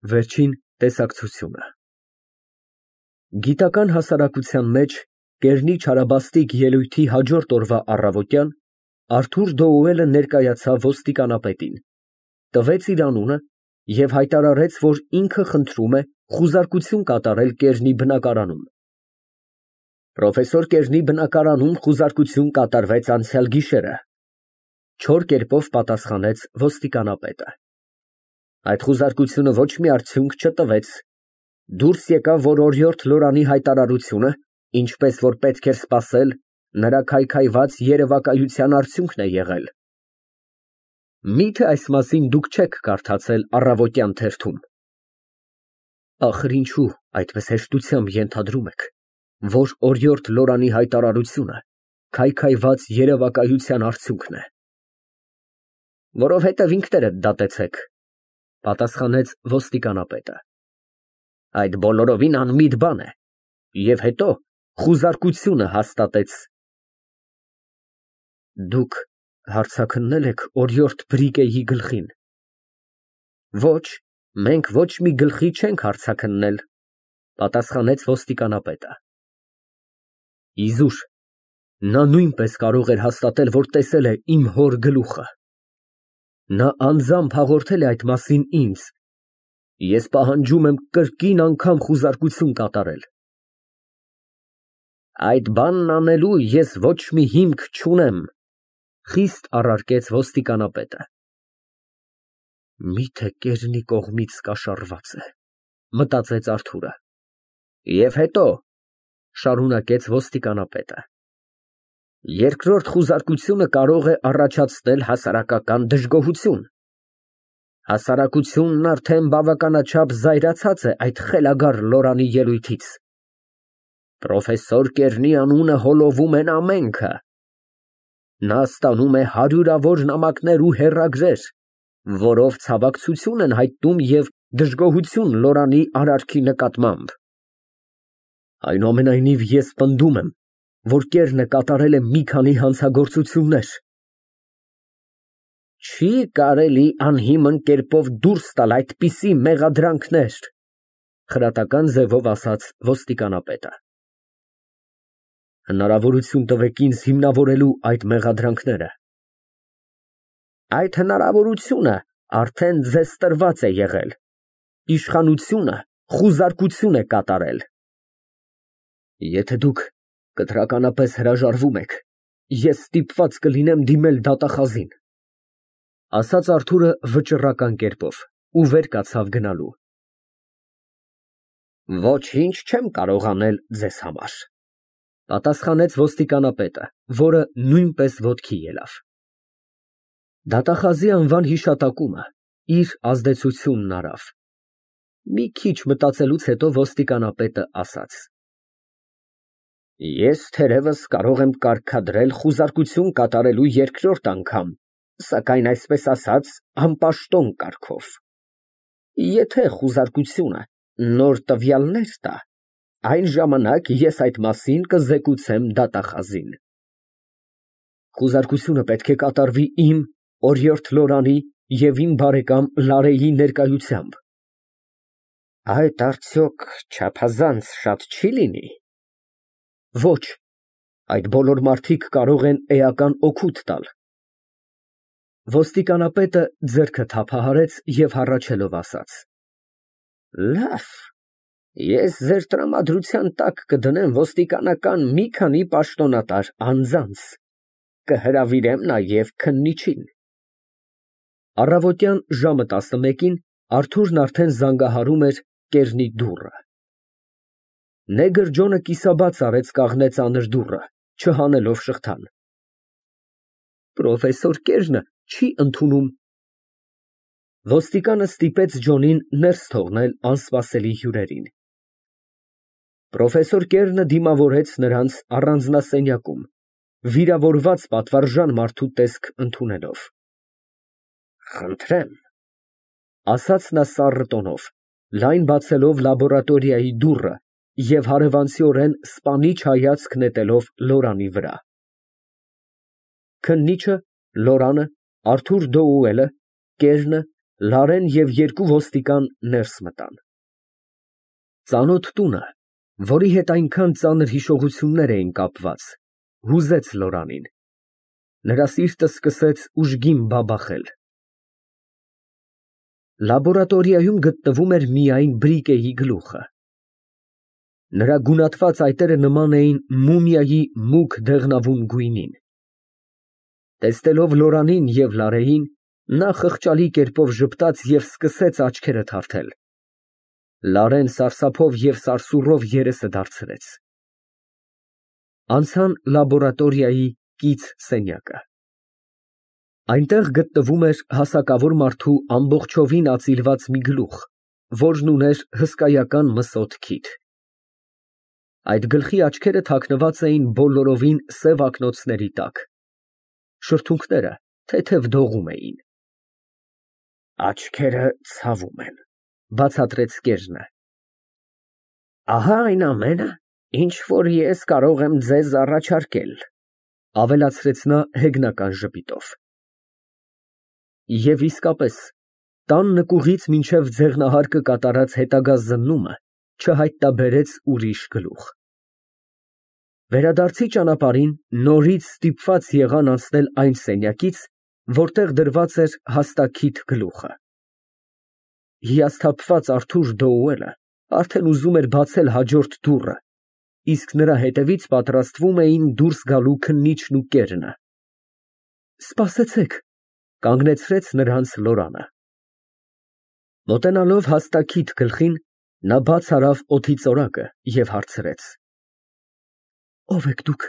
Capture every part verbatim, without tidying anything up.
Վերջին տեսակցությունը Գիտական հասարակության մեջ կերնի չարաբաստիկ ելույթի հաջորդ օրվա առավոտյան Արթուր Դոուելը ներկայացավ ոստիկանապետին, տվեց իր անունը և հայտարարեց, որ ինքը խնդրում է խուզարկություն կատարել կերնի բնակարանում։ Պրոֆեսոր Կերնի բնակարանում խուզարկություն կատարվեց անցյալ գիշերը, չոր կերպով պատասխանեց ոստիկանապետը։ Այդ խուզարկությունը ոչ մի արդյունք չտվեց, դուրս եկավ, որ օրիորդ Լորանի հայտարարությունը, ինչպես որ պետք էր սպասել, նրա քայքայված երևակայության արդյունքն է եղել։ Մի՞թե այս մասին դուք չեք կարդացել առավոտյան թերթում։ Ախր ինչու այդպես հեշտությամբ ենթադրում եք, որ օրիորդ Լորանի հայտարարությունը քայքայված երևակայության արդյունքն է։ Որովհետև ինքներդ դատեցեք, պատասխանեց ոստիկանապետը։ Այդ բոլորովին անմիտ բան է, և հետո խուզարկությունը հաստատեց։ Դուք հարձակննե՞լ եք օրիորդ Բրիգեի գլխին։ Ոչ, մենք ոչ մի գլխի չենք հարձակննել, պատասխանեց ոստիկանապետը։ Իզուր, նա նույնպես կարող էր հաստատել, որ տեսել է իմ հոր գլուխը։ Նա անձամբ հաղորդել է այդ մասին ինձ, ես պահանջում եմ կրկին անգամ խուզարկություն կատարել։ Այդ բանն անելու ես ոչ մի հիմք չունեմ, խիստ առարկեց ոստիկանապետը։ Միթե կերնի կողմից կաշառված է, մտածեց Արթուրը։ Եվ հետո, շարունակեց ոստիկանապետը, երկրորդ խուզարկությունը կարող է առաջացնել հասարակական դժգոհություն։ Հասարակությունն արդեն բավականաչափ զայրացած է այդ խելագար Լորանի ելույթից։ Պրոֆեսոր Կերնի անունը հոլովում են ամենքը։ Նա ստանում է հարյուրավոր նամակներ ու հեռագրեր, որով ցավակցություն են հայտնում և դժգոհություն Լորանի արարքի նկատմամբ։ Այնուամենայնիվ ես պնդում եմ, որ Կերնը կատարել է մի քանի հանցագործություններ։ Չի կարելի անհիմն կերպով դուրս տալ այդպիսի մեղադրանքներ, խրատական ձևով ասաց ոստիկանապետը։ Հնարավորություն տվեք ինձ հիմնավորելու այդ մեղադրանքները։ Այդ հնարավորությունը արդեն ձեզ տրված է եղել, իշխանությունը խուզարկություն է կատարել։ Եթե դուք կտրականապես հրաժարվում եք, ես ստիպված կլինեմ դիմել դատախազին, ասաց Արթուրը վճռական կերպով ու վեր կացավ գնալու։ Ոչինչ չեմ կարող անել ձեզ համար, պատասխանեց ոստիկանապետը, որը նույնպես ոտքի ելավ։ Դատախազի անվան հիշատակումը իր ազդեցությունն արավ։ Մի քիչ մտածելուց հետո ոստիկանապետը ասաց. Ես թերևս կարող եմ կարգադրել խուզարկություն կատարելու երկրորդ անգամ, սակայն այսպես ասած, անպաշտոն կարգով։ Եթե խուզարկությունը նոր տվյալներ տա, այն ժամանակ ես այդ մասին կզեկուցեմ դատախազին։ Խուզարկությունը պետք է կատարվի իմ, օրիորդ Լորանի և իմ բարեկամ Լարեի ներկայությամբ։ Այդ արդյոք չափազանց շատ չի լինի։ Ոչ, այդ բոլոր մարդիկ կարող են էական օգուտ տալ։ Ոստիկանապետը ձեռքը թափահարեց և հառաչելով ասաց. Լավ, ես ձեր տրամադրության տակ կդնեմ ոստիկանական մի քանի պաշտոնատար անձանց, կհրավիրեմ նաև քննիչին։ Առավոտյան ժամը տասնմեկին Արթուրն արդեն զանգահարում էր կերնի դուռը։ Նեգր Ջոնը կիսաբաց արեց կաղնե ծանր դուռը, չհանելով շղթան։ Պրոֆեսոր Կերնը չի ընդունում։ Ոստիկանը ստիպեց Ջոնին ներս թողնել անսպասելի հյուրերին։ Պրոֆեսոր Կերնը դիմավորեց նրանց առանձնասենյակում, վիրավորված պատվարժան մարդու տեսք ընդունելով։ Խնդրեմ, ասաց նա սառը տոնով, լայն բացելով լաբորատորիայի դուռը և հարևանցիորեն սպանիչ հայացք նետելով Լորանի վրա։ Քննիչը, Լորանը, Արթուր Դոուելը, Կերնը Լարեն և երկու ոստիկան ներս մտան։ Ծանոթ տունը, որի հետ այնքան ծանր հիշողություններ էին կապված, հուզեց Լորանին, նրա սիրտը սկսեց ուժգին բաբախել։ Լաբորատորիայում գտնվում էր միայն Բրիկեի գլուխը։ Նրա գունատված այտերը նման էին մումիայի մուգ դեղնավուն գույնին։ Տեսնելով Լորանին և Լարեին, նա խղճալի կերպով ժպտաց և սկսեց աչքերը թարթել։ Լարեն սարսափով և սարսուռով երեսը դարձրեց։ Անցան լաբորատորիայի կից սենյակը։ Այնտեղ գտնվում էր հասակավոր մարդու ամբողջովին ածիլված մի գլուխ, որն ուներ հսկայական մսոտ քիթ։ Այդ գլխի աչքերը թաքնված էին բոլորովին սև ակնոցների տակ։ Շրթունքները թեթև դողում էին։ Աչքերը ցավում են, բացատրեց կեժը։ Ահա այն ամենը, ինչ որ ես կարող եմ ձեզ առաջարկել, ավելացրեց նա հեգնական ժպիտով։ Եվ իսկապես, տան նկուղից մինչև ձեղնահարկը կատարած հետագա զննումը չհայտնաբերեց ուրիշ գլուխ։ Վերադարձի ճանապարհին նորից ստիպված եղան անցնել այն սենյակից, որտեղ դրված էր հաստաքիթ գլուխը։ Հիասթափված Արթուր Դոուելը արդեն ուզում էր բացել հաջորդ դուռը, իսկ նրա հետևից պատրաստվում էին դուրս գալու քննիչն ու կերնը։ Սպասեցեք, կանգնեցրեց նրանց Լորանը։ Մոտենալով հաստաքիթ գլխին, նա բաց արավ օդի ծորակը և հարցրեց. Ո՞վ եք դուք։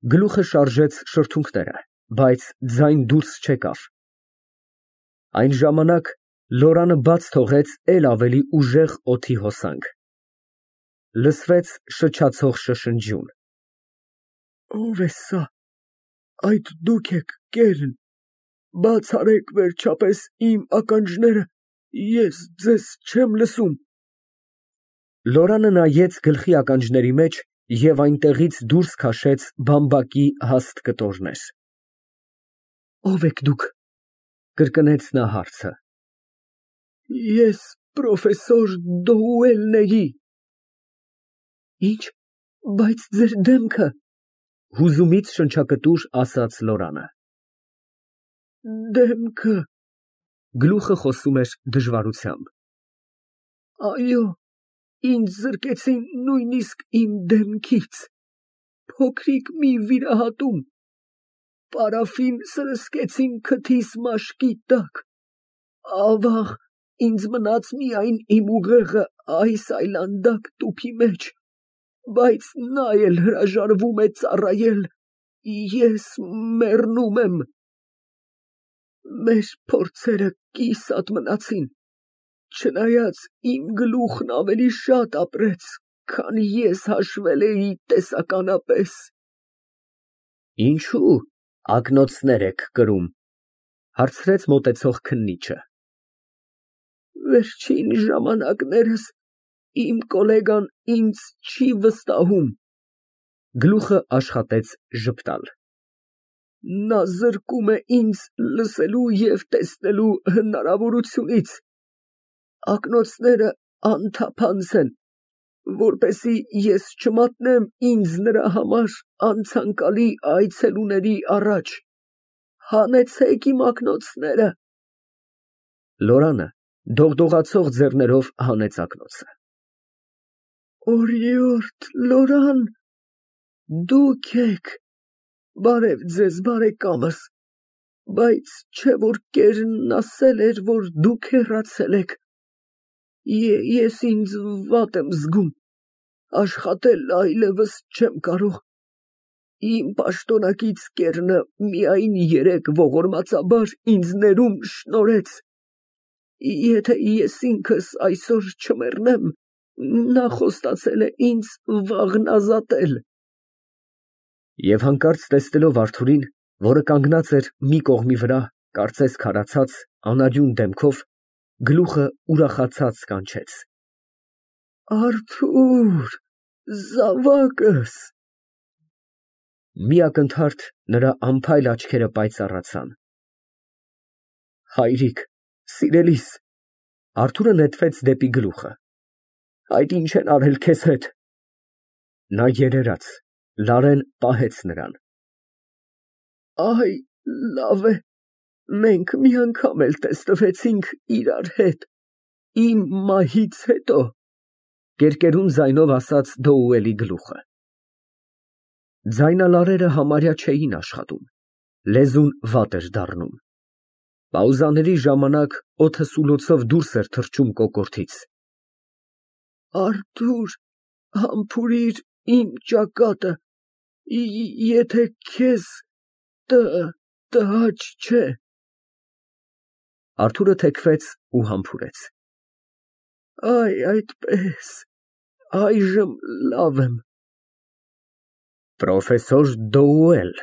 Գլուխը շարժեց շրթունքները, բայց ձայն դուրս չեկավ։ Այն ժամանակ Լորանը բաց թողեց էլ ավելի ուժեղ օդի հոսանք։ Լսվեց շչացող շշնջյուն։ Ո՞վ է սա, այդ դուք եք, կերն, բաց արեք վերջապես իմ ականջները, ես ձեզ չեմ լսում։ Լորանը նայեց գլխի ականջների մեջ և այնտեղից դուրս քաշեց բամբակի հաստ կտորներ։ Ո՞վ եք դուք, կրկնեց նա հարցը։ Ես պրոֆեսոր Դոուելն էի։ Ինչ, բայց ձեր դեմքը, հուզումից շնչակտուր ասաց Լորանը։ Դեմքը, գլուխը խոսում էր դժվարությամբ։ Այո, ինձ զրկեցին նույնիսկ իմ դեմքից, փոքրիկ մի վիրահատում, պարաֆին սրսկեցին քթիս մաշկի տակ, ավաղ, ինձ մնաց միայն իմ ուղեղը այս այլանդակ տուփի մեջ, բայց նա էլ հրաժարվում է ծառայել, ես մեռնում եմ։ Մեր փորձերը կիսատ մնացին, չնայած իմ գլուխն ավելի շատ ապրեց, քան ես հաշվել էի տեսականապես։ Ինչու՞ ակնոցներ եք կրում, հարցրեց մոտեցող քննիչը։ Վերջին ժամանակներս իմ գոլեգան ինձ չի վստահում։ Գլուխը աշխատեց ժպտալ։ Նա զրկում է ինձ լսելու և տեսնելու հնարավորությունից։ Ակնոցները անթափանց են, որպեսզի ես չմատնեմ ինձ նրա համար անցանկալի այցելուների առաջ։ Հանեցեք իմ ակնոցները։ Լորանը դողդողացող ձեռներով հանեց ակնոցը։ Օրիորդ Լորան, դուք եք, բարև ձեզ բարեկամս, բայց չէ որ կերնն ասել էր, որ դուք հեռացել եք, ես ինձ վատ եմ զգում, աշխատել այլևս չեմ կարող, իմ պաշտոնակից կերնը միայն երեկ ողորմածաբար ինձ ներում շնորհեց, եթե ես ինքս այսօր չմեռնեմ, նա խոստացել է ինձ վաղն ազատել։ Եվ հանկարծ տեսնելով Արթուրին, որը կանգնած էր մի կողմի վրա, կարծես քարացած, անարյուն դեմքով, գլուխը ուրախացած կանչեց. Արթուր, զավակս։ Մի ակնթարթ նրա անփայլ աչքերը պայծառացան։ Հայրիկ, սիրելիս։ Արթուրը նետվեց դեպի գլուխը։ Այդ ինչ են արել քեզ հետ։ Նա երերաց, Լարեն պահեց նրան։ Այ, լավ է, մենք մի անգամ էլ տեսնվեցինք իրար հետ, իմ մահից հետո, կերկերուն ձայնով ասաց Դոուելի գլուխը։ Ձայնալարերը համարյա չէին աշխատում, լեզուն վատ էր դառնում։ Պաուզաների ժամանակ օդը սուլոցով դուրս էր թռչում կոկորդից։ Արթուր, համբուրիր իմ ճակատը, եթե քեզ տհաճ չէ։ Արթուրը թեքվեց ու համբուրեց։ Այ այդպես, այժմ լավ եմ։ Պրոֆեսոր Դոուել,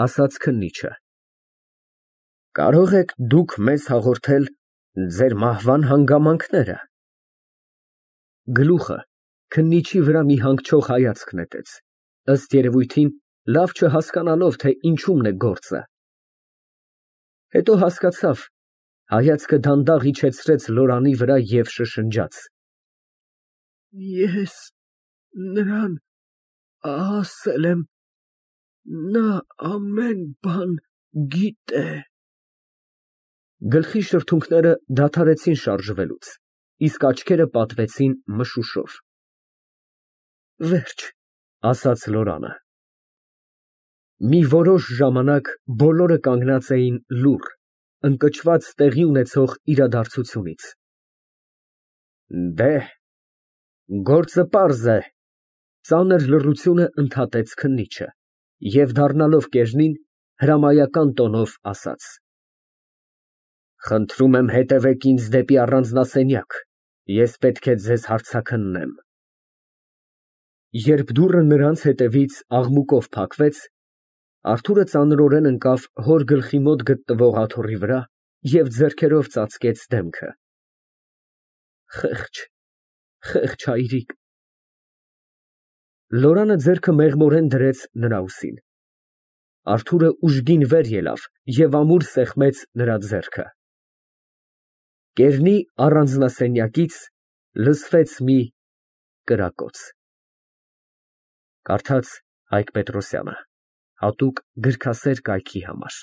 ասաց քննիչը, կարող եք դուք մեզ հաղորդել ձեր մահվան հանգամանքները։ Գլուխը քննիչի վրա մի հանգչող հայացք նետեց, ըստ երևույթին լավ չհասկանալով, թե ինչումն է գործը։ Հետո հասկացավ, հայացքը դանդաղ իջեցրեց Լորանի վրա և շշնջաց. Ես նրան ասել եմ, նա ամեն բան գիտե։ Գլխի շրթունքները դադարեցին շարժվելուց, իսկ աչքերը պատվեցին մշուշով։ Վերջ, ասաց Լորանը։ Մի որոշ ժամանակ բոլորը կանգնած էին լուռ, ընկճված տեղի ունեցող իրադարձությունից։ Դե, գործը պարզ է, ծանր լռությունը ընդհատեց քննիչը և դառնալով կեժնին հրամայական տոնով ասաց. Խնդրում եմ հետևեք ինձ դեպի առանձնասենյակ, ես պետք է ձեզ հարցաքննեմ։ Երբ դուռը նրանց հետևից աղմուկով փակվեց, Արթուրը ծանրորեն ընկավ հոր գլխի մոտ գտնվող աթոռի վրա և ձեռքերով ծածկեց դեմքը։ Խեղճ, խեղճ հայրիկ։ Լորանը ձեռքը մեղմորեն դրեց նրա ուսին։ Արթուրը ուժգին վեր ելավ և ամուր սեղմեց նրա ձեռքը։ Կեժնի առանձնասենյակից լսվեց մի կրակոց։ Կարդաց Հայկ Պետրոսյանը, հատուկ գրքասեր կայքի համար։